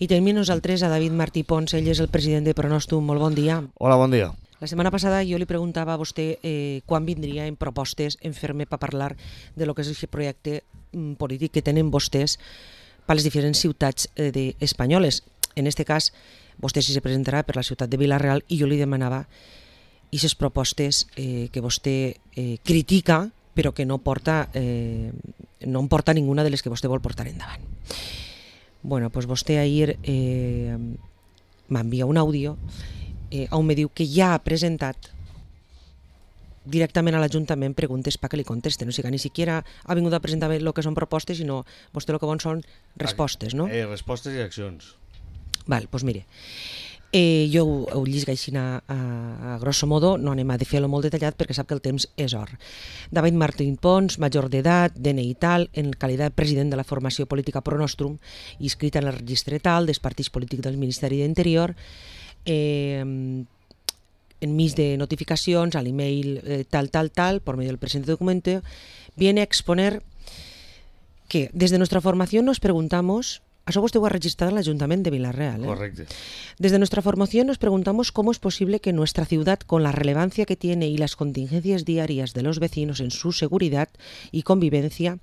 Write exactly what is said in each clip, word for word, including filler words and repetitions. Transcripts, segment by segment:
I tenim nosaltres a David Martí Pons, ell és el president de Pronòstum. Molt bon dia. Hola, bon dia. La setmana passada jo li preguntava a vostè eh, quan vindria en propostes en fer-me per parlar de lo que és aquest projecte mm, polític que tenen vostès per les diferents ciutats eh, de, espanyoles. En aquest cas, vostè sí se presentarà per la ciutat de Vila-real i jo li demanava aquestes propostes eh, que vostè eh, critica però que no porta eh, no en porta ninguna de les que vostè vol portar endavant. Bueno, pues vostè ahir eh, m'envia un àudio eh, on me diu que ja ha presentat directament a l'Ajuntament preguntes perquè li contesten. O sigui, ni siquiera ha vingut a presentar el que són propostes, sinó vostè el que vol són respostes, no? Eh, respostes i accions. Val, doncs mire, eh, jo ho, ho llisc així a, a, a grosso modo, no anem a fer-lo molt detallat perquè sap que el temps és or. David Martín Pons, major d'edat, D N I tal, en qualitat de president de la formació política Pronòstum, inscrit en el registre tal dels partits polítics del Ministeri d'Interior, eh, enmig de notificacions al email eh, tal, tal, tal, por medio del presente documento, viene a exponer que desde nuestra formación nos preguntamos. Això vostè ho ha registrat en l'Ajuntament de Vila-real. ¿eh? Correcte. Desde nuestra formación nos preguntamos cómo es posible que nuestra ciudad, con la relevancia que tiene y las contingencias diarias de los vecinos en su seguridad y convivencia,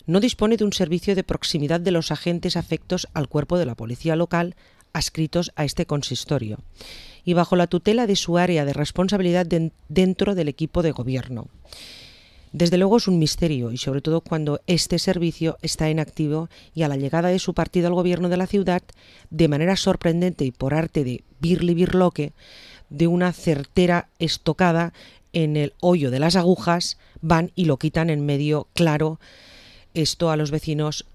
no dispone de un servicio de proximidad de los agentes afectos al cuerpo de la policía local adscritos a este consistorio y bajo la tutela de su área de responsabilidad de, dentro del equipo de gobierno. Desde luego es un misterio y sobre todo cuando este servicio está en activo y a la llegada de su partido al gobierno de la ciudad, de manera sorprendente y por arte de birli birloque, de una certera estocada en el hoyo de las agujas, van y lo quitan en medio claro. Esto a los vecinos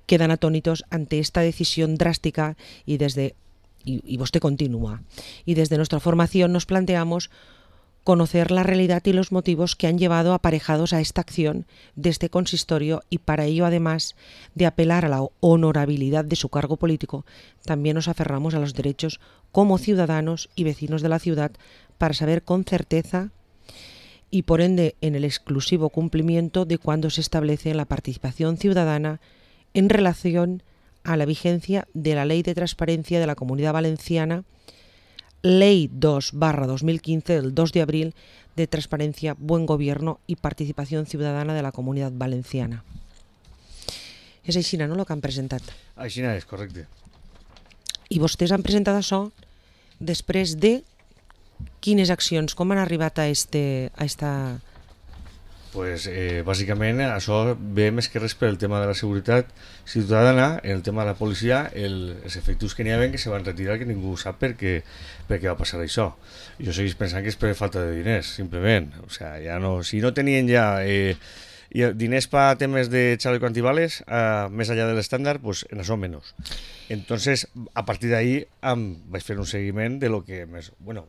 quedan atónitos ante esta decisión drástica y desde, y, y usted continúa, y desde nuestra formación nos planteamos conocer la realidad y los motivos que han llevado aparejados a esta acción de este consistorio y para ello, además de apelar a la honorabilidad de su cargo político, también nos aferramos a los derechos como ciudadanos y vecinos de la ciudad para saber con certeza y por ende en el exclusivo cumplimiento de cuándo se establece la participación ciudadana en relación a la vigencia de la Ley de Transparencia de la Comunidad Valenciana, Ley dos barra dos mil quince del dos de abril de Transparencia, Buen Gobierno y Participación Ciudadana de la Comunidad Valenciana. És així, no, el que han presentat? Així és, correcte. I vostès han presentat això després de quines accions? Com han arribat a, este, a esta... Pues, eh, bàsicament això ve més que res per el tema de la seguretat ciutadana, el tema de la policia, el, els efectius que n'hi havia que se van retirar, que ningú sap per què, per què va passar això. Jo segueix pensant que és per falta de diners, simplement. O sea, ja no, si no tenien ja eh, diners per temes de chaleco antibales, eh, més allà de l'estàndard, pues en això menys. Entonces, a partir d'ahí um, vaig fer un seguiment de lo que més... Bueno,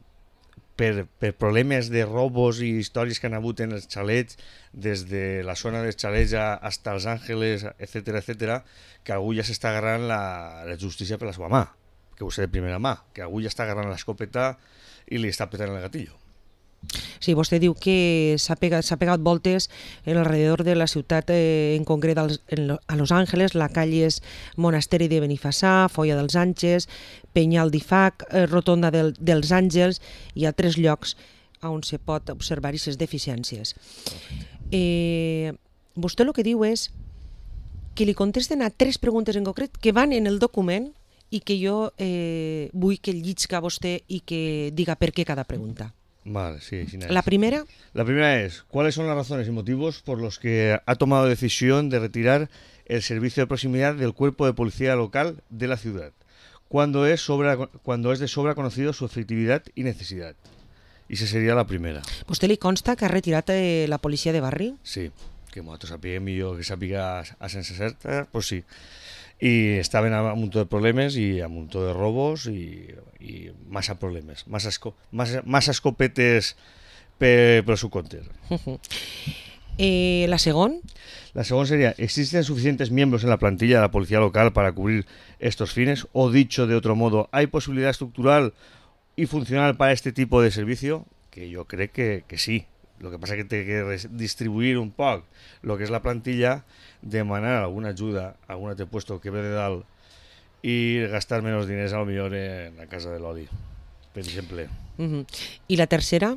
Per, per problemes de robos i històries que han hagut en els xalets, des de la zona dels xalets fins als Àngeles, etcètera, etcètera, que algú ja s'està agarrant la, la justícia per la seva mà, que ho sé de primera mà, que algú ja està agarrant l'escopeta i li està petant el gatillo. Sí, vostè diu que s'ha pegat, s'ha pegat voltes en alrededor de la ciutat, eh, en concret als, en, a Los Ángeles, la calle és Monasteri de Benifassà, Folla dels Àngels, Penyal d'Ifac, eh, Rotonda del, dels Àngels, hi ha tres llocs on se pot observar aquestes deficiències. Eh, vostè el que diu és que li contesten a tres preguntes en concret que van en el document i que jo eh, vull que llisca vostè i que diga per què cada pregunta. Vale, sí, sí, La primera. La primera es, ¿cuáles son las razones y motivos por los que ha tomado decisión de retirar el servicio de proximidad del cuerpo de policía local de la ciudad? ¿Cuándo es, sobra, cuando es de sobra conocido su efectividad y necesidad? Y esa sería la primera. ¿Vostè li consta que ha retirat eh, la policia de barri? Sí, que nosaltres sapiguem i jo que sàpiga a sense certa, pues sí. I estaven amb un munt de problemes i amb un munt de robos i, i massa problemes, massa, esco, massa, massa escopetes per, per su compte. eh, la segunda. La segunda sería, ¿existen suficientes miembros en la plantilla de la policía local para cubrir estos fines? O dicho de otro modo, ¿hay posibilidad estructural y funcional para este tipo de servicio? Que yo creo que, que sí. Lo que pasa es que té que distribuir un poc lo que és la plantilla, demanar alguna ajuda a algun altre puesto que ve de dalt i gastar menys diners a lo millor en la casa de l'oli, per exemple. Uh-huh. ¿Y la tercera?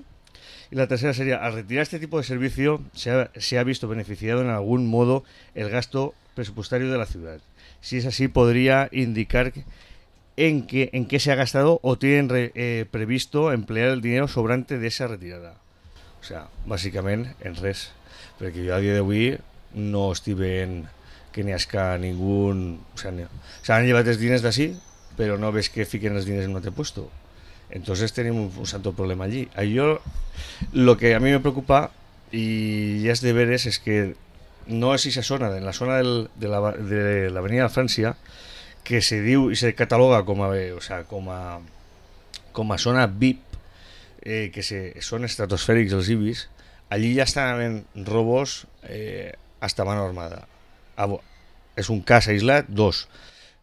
Y la tercera sería, al retirar este tipo de servicio se ha, se ha visto beneficiado en algún modo el gasto presupuestario de la ciudad. Si es así, podría indicar en qué, en qué se ha gastado o tienen re, eh, previsto emplear el dinero sobrante de esa retirada. O sea, bàsicament en res, perquè jo a dia d'avui no estic veient que n'hi hagi ningú... O sea, s'han llevat els diners d'ací, però no ves que fiquen els diners en un altre puesto. Entonces tenemos un santo problema allí. Yo, lo que a mí me preocupa, y ya es de veres, es que no es esa zona, en la zona del, de, la, de la avenida de Francia, que se diu y se cataloga como a, o sea, como a, como a zona V I P, eh, que se, son estratosfèrics els ibis, allí ja estan havent robos eh, hasta mano armada. Ah, és un cas aïslat, dos.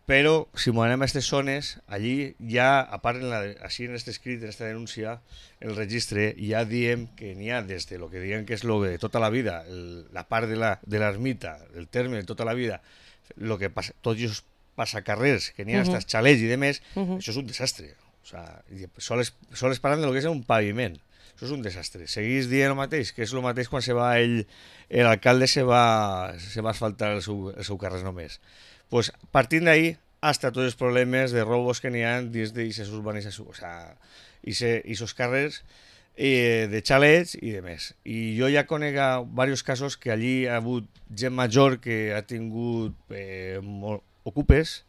Però si m'ho anem a aquestes zones, allí ja, a part, en la, així en aquest escrit, en aquesta denúncia, el registre, ja diem que n'hi ha des de lo que diem que és lo de tota la vida, el, la part de l'ermita, la, del terme de tota la vida, lo que passa, tots els passacarrers que n'hi ha, uh -huh. estats xalets i demés, uh -huh. això és un desastre. O sea, sols, sols parlant de lo que és un paviment. Això és un desastre. Seguís dient el mateix, que és el mateix quan se va ell, l'alcalde se va, se va asfaltar el seu, el seu carrer només. Pues partint d'ahí hasta tots els problemes de robos que n'hi ha dins d'aquestes urbanitzacions, o sea, aquests carrers eh, de xalets i de més. I jo ja conec diversos casos que allí ha hagut gent major que ha tingut eh, molt, ocupes,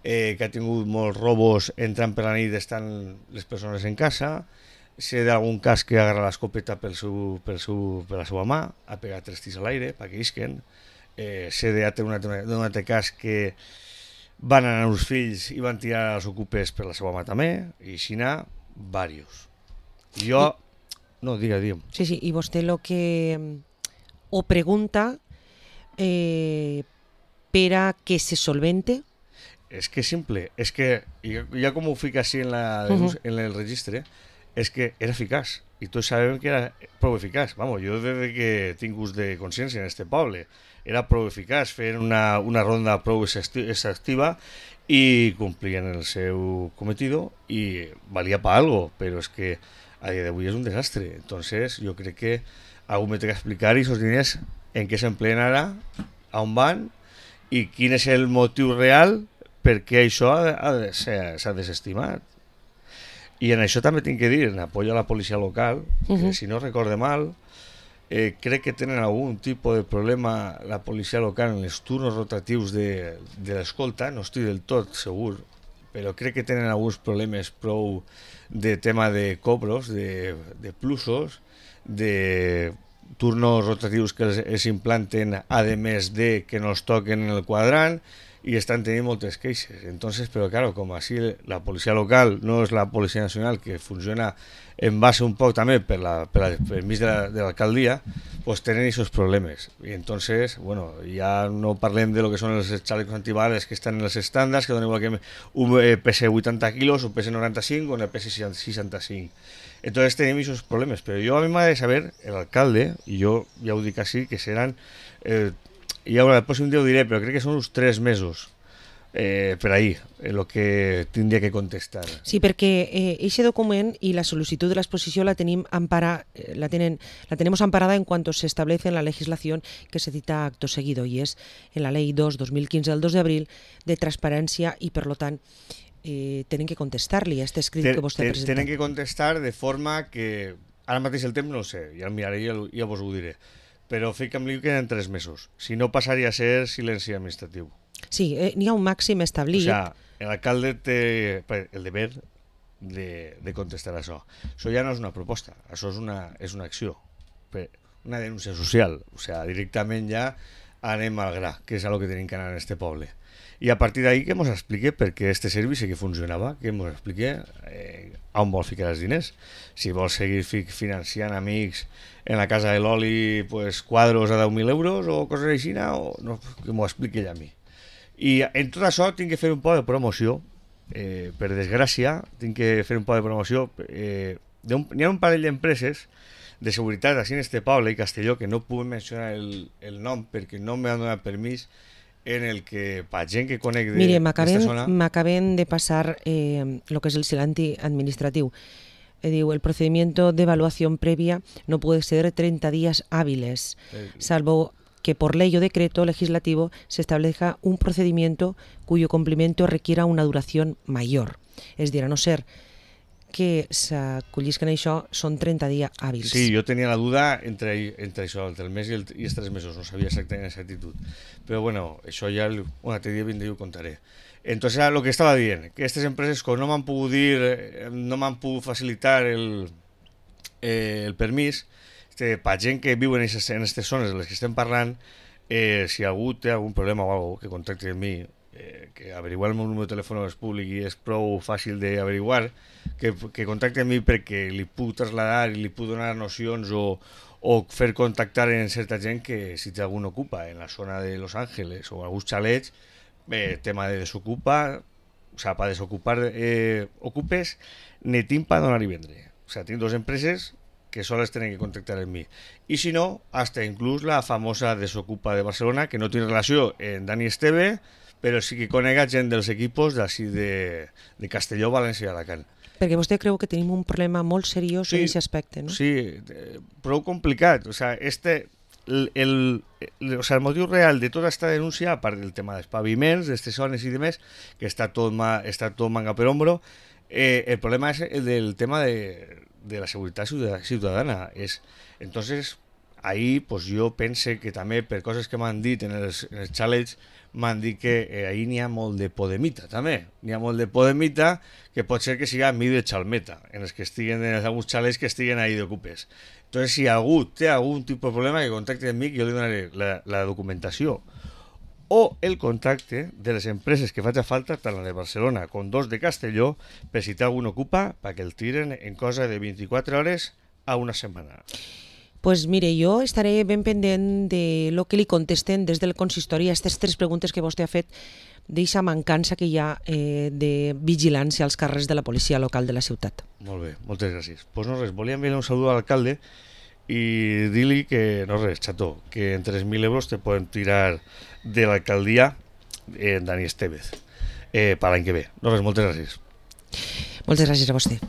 eh, que ha tingut molts robos entrant per la nit estan les persones en casa. Sé d'algun cas que agarra l'escopeta pel seu, pel seu, per la seva mà, ha pegat tres tirs a l'aire perquè isquen. Eh, sé d'un altre, altre cas que van anar els fills i van tirar els ocupes per la seva mà també, i així n'ha diversos. Jo... No, diga, diga. Sí, sí, i vostè lo que o pregunta eh, per a que se solvente? És que és simple, és que ja com ho fica així en, la, uh-huh. en el registre, és que era eficaç, i tots sabem que era prou eficaç. Vamos, jo des que tinc ús de consciència en este poble, era prou eficaç, feien una, una ronda prou exhaustiva i complien el seu cometido i valia per algo, però és que a dia d'avui és un desastre. Entonces, jo crec que algú me té que explicar aquests diners en què s'empleen ara, a on van i quin és el motiu real per què això s'ha desestimat. I en això també tinc que dir, en apoyo a la policia local, uh-huh. que si no recorde mal, eh, crec que tenen algun tipus de problema la policia local en els turnos rotatius de, de l'escolta, no estic del tot segur, però crec que tenen alguns problemes prou de tema de cobros, de, de plusos, de turnos rotatius que els, els implanten, a més de que no els toquen en el quadrant, i estan tenint moltes queixes. Entonces, però claro, com així la policia local no és la policia nacional, que funciona en base un poc també per la, per la permís de, la, de l'alcaldia, pues tenen aquests problemes. I entonces, bueno, ja no parlem de lo que són els chalecos antibales que estan en els estàndards, que donen igual que un pesa vuitanta quilos, un pesa noranta-cinc o un pesa seixanta-cinc. Entonces tenim aquests problemes, però jo a mi m'ha de saber, l'alcalde, i jo ja ho dic així, que seran... Eh, i ara el pròxim dia ho diré, però crec que són uns tres mesos eh, per ahí, el que tindria que contestar. Sí, perquè aquest eh, document i la sol·licitud de l'exposició la tenim ampara, la, tenen, la tenemos amparada en cuanto se establece en la legislación que se cita acto seguido, y es en la ley dos dos mil quince del dos de abril de transparència, i per lo tant eh, tenen que contestar-li a aquest escrit ten, que vostè ha presentat. Tenen que contestar de forma que, ara mateix el temps no ho sé, ja el miraré i ja, ja vos ho diré, però fica'm-li que en tres mesos. Si no, passaria a ser silenci administratiu. Sí, eh, n'hi ha un màxim establit. O sigui, l'alcalde té el deber de, de contestar això. Això ja no és una proposta, això és una, és una acció, una denúncia social. O sigui, directament ja anem al gra, que és el que tenim que anar en este poble. I a partir d'ahí que ens explique per què este servici que funcionava, que ens explique eh, on vol ficar els diners. Si vol seguir fi financiant amics en la casa de l'oli, pues, quadros a deu mil euros o coses així, o no, que m'ho expliqui ell a mi. I en tot això tinc que fer un poc de promoció, eh, per desgràcia, tinc que fer un poc de promoció. Eh, N'hi ha un parell d'empreses de seguretat així en este poble i Castelló, que no puc mencionar el, el nom perquè no m'han donat permís, en el que, per gent que conec de, Mire, d'esta zona... m'acaben de passar eh, lo que es el silenci administratiu. Eh, diu, el procedimiento de evaluación previa no puede ser treinta días hábiles, Eh, salvo que por ley o decreto legislativo se establezca un procedimiento cuyo cumplimiento requiera una duración mayor. És dir, a no ser que s'acollisquen això, són trenta dies hàbils. Sí, jo tenia la duda entre, entre això, entre el mes i, el, i els tres mesos, no sabia exactament exactitud. Però bueno, això ja un altre dia vindré i ho contaré. Entonces, lo que estava dient, que aquestes empreses com no m'han pogut dir, no m'han pogut facilitar el, eh, el permís, este, per gent que viu en aquestes zones de les que estem parlant, eh, si algú té algun problema o alguna cosa, que contacti amb mi, eh, que averiguar el meu número de telèfon és públic i és prou fàcil d'averiguar, que, que contacti amb mi perquè li puc traslladar i li puc donar nocions o, o fer contactar en certa gent que si té algun ocupa en la zona de Los Ángeles o alguns xalets, eh, tema de desocupa, o sea, para desocupar eh, ocupes, ne tinc para donar i vendre. O sea, tinc dos empreses que soles tenen que contactar amb mi. I si no, hasta inclús la famosa Desocupa de Barcelona, que no té relació en Dani Esteve, però sí que conega gent dels equipos d'ací de, de Castelló, València i Alacant. Perquè vostè creu que tenim un problema molt seriós Sí, en aquest aspecte, no? Sí, eh, prou complicat. O sea, este, el, el, el, o sea, el motiu real de tota esta denúncia, a part del tema dels paviments, d'aquestes zones i demés, que està tot, ma, està tot manga per hombro, eh, el problema és el del tema de, de la seguretat ciutadana. És, entonces, ahí pues, jo pense que també, per coses que m'han dit en els, en els xalets, m'han dit que eh, ahí n'hi ha molt de podemita, també. N'hi ha molt de podemita que pot ser que siga mi de xalmeta, en els que estiguen, en alguns xalets que estiguen ahí d'ocupes. Entonces, si algú té algun tipus de problema, que contacte amb mi, que jo li donaré la, la documentació o el contacte de les empreses que faci falta, tant la de Barcelona com dos de Castelló, per si té algun ocupa, perquè el tiren en cosa de vint-i-quatre hores a una setmana. Pues mire, jo estaré ben pendent de lo que li contesten des del consistori a aquestes tres preguntes que vostè ha fet d'aquesta mancança que hi ha eh, de vigilància als carrers de la policia local de la ciutat. Molt bé, moltes gràcies. Pues no res, volia enviar un saludo a l'alcalde i dir-li que, no res, xató, que en tres mil euros te poden tirar de l'alcaldia en Dani Estevez eh, per l'any que ve. No res, moltes gràcies. Moltes gràcies a vostè.